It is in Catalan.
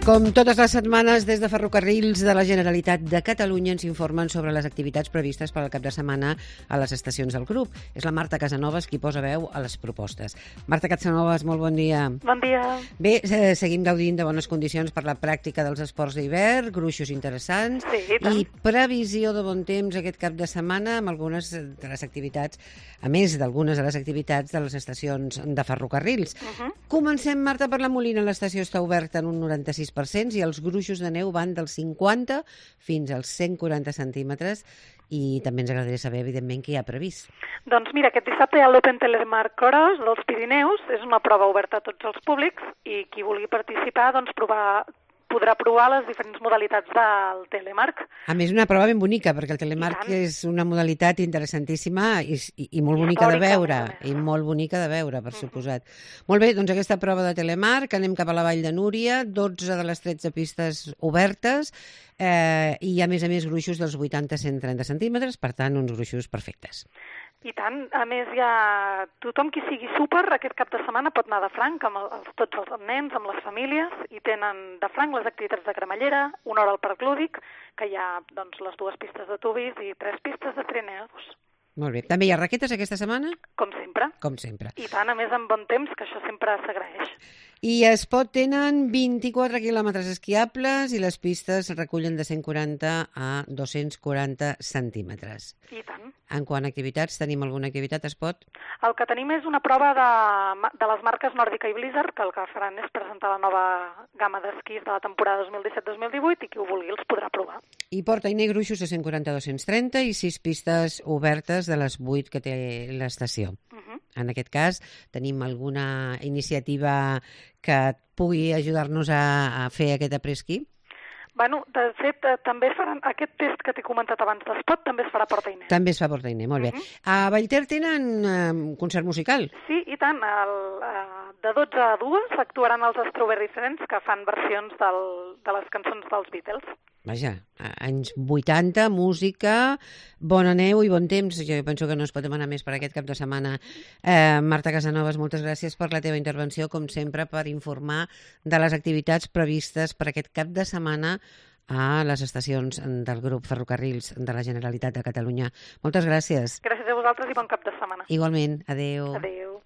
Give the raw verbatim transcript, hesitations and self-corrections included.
Com totes les setmanes, des de Ferrocarrils de la Generalitat de Catalunya ens informen sobre les activitats previstes per al cap de setmana a les estacions del grup. És la Marta Casanovas qui posa veu a les propostes. Marta Casanovas, molt bon dia. Bon dia. Bé, eh, seguim gaudint de bones condicions per la pràctica dels esports d'hivern, gruixos interessants Sí, i tant. i previsió de bon temps aquest cap de setmana amb algunes de les activitats, a més d'algunes de les activitats de les estacions de ferrocarrils. Uh -huh. Comencem, Marta, per la Molina. L'estació està oberta en un noranta-sis per cent i els gruixos de neu van dels cinquanta fins als cent quaranta centímetres i també ens agradaria saber, evidentment, què hi ha previst. Doncs mira, aquest dissabte hi ha l'Open Telemark Cross dels Pirineus, és una prova oberta a tots els públics i qui vulgui participar doncs provar, podrà provar les diferents modalitats del telemark. A més, una prova ben bonica, perquè el telemark és una modalitat interessantíssima i, i, i molt I bonica de històrica, veure, a més. i molt bonica de veure, per suposat. Molt bé, doncs aquesta prova de telemark, anem cap a la Vall de Núria, dotze de les tretze pistes obertes, eh, i a més a més gruixos dels vuitanta a cent trenta centímetres, per tant, uns gruixos perfectes. I tant, a més hi ha tothom qui sigui súper aquest cap de setmana pot anar de franc amb els, tots els nens, amb les famílies, i tenen de franc les activitats de cremallera, una hora al Parc Lúdic, que hi ha doncs, les dues pistes de tubis i tres pistes de trineus. Molt bé. També hi ha raquetes aquesta setmana? Com sempre. Com sempre. I tant, a més amb bon temps, que això sempre s'agraeix. I a Espot tenen vint-i-quatre quilòmetres esquiables i les pistes recullen de cent quaranta a dos-cents quaranta centímetres. I tant. En quant a activitats, tenim alguna activitat a Espot? El que tenim és una prova de, de les marques Nòrdica i Blizzard, que el que faran és presentar la nova gamma d'esquís de la temporada dos mil disset dos mil divuit i qui ho vulgui els podrà provar. I porta i gruixos de cent quaranta a dos-cents trenta i sis pistes obertes de les vuit que té l'estació. Uh -huh. En aquest cas, tenim alguna iniciativa que pugui ajudar-nos a, a fer aquest après-ski? Bueno, de fet, eh, també es faran, aquest test que t'he comentat abans d'Espot també es farà a Porta Inés. També es fa a Porta Inés, molt bé. Uh -huh. A Vallter tenen eh, concert musical? Sí, i tant. El, eh, de dotze a dues actuaran els Strawberry Friends, que fan versions del, de les cançons dels Beatles. Vaja, anys vuitanta, música, bona neu i bon temps. Jo penso que no es pot demanar més per aquest cap de setmana. Eh, Marta Casanovas, moltes gràcies per la teva intervenció, com sempre, per informar de les activitats previstes per aquest cap de setmana a les estacions del grup Ferrocarrils de la Generalitat de Catalunya. Moltes gràcies. Gràcies a vosaltres i bon cap de setmana. Igualment. Adéu. Adéu.